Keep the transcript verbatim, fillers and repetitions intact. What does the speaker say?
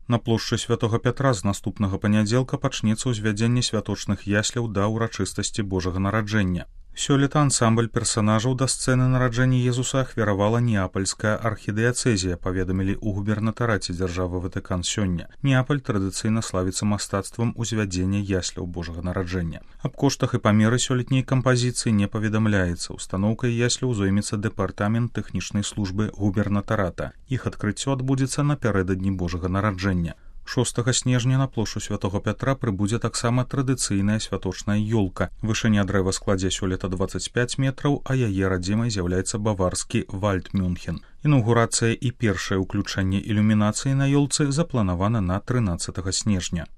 На плошчы Святога Пятра з наступнага панядзелка пачнецца ўзвядзенне святочных ясляў да ўрачыстасці Божага нараджэння. Сёлета ансамбль персанажаў да сцэны нараджэння Езуса ахвяравала Неапальская архідыяцэзія, паведамілі ў губернатараце дзяржавы Ватыкан сёння. Неапаль традыцыйна славіцца мастацтвам узвядзення ясляў Божага нараджэння. Аб коштах і памеры сёлетняй кампазіцыі не паведамляецца. Устаноўкай ясляў зоймецца дэпартамент тэхнічнай службы губернатарата. Іх адкрыццё адбудзецца напярэдадні Божага нараджэння. шостага снежня на плошчу Святога Пятра прыбудзе таксама традыцыйная святочная ёлка. Вышыня дрэва складзе сёлета дваццаць пяць метраў, а яе радзімай з'яўляецца баварскі Вальдмюнхен. Інаўгурацыя і першае ўключэнне ілюмінацыі на ёлцы запланавана на трынаццатага снежня.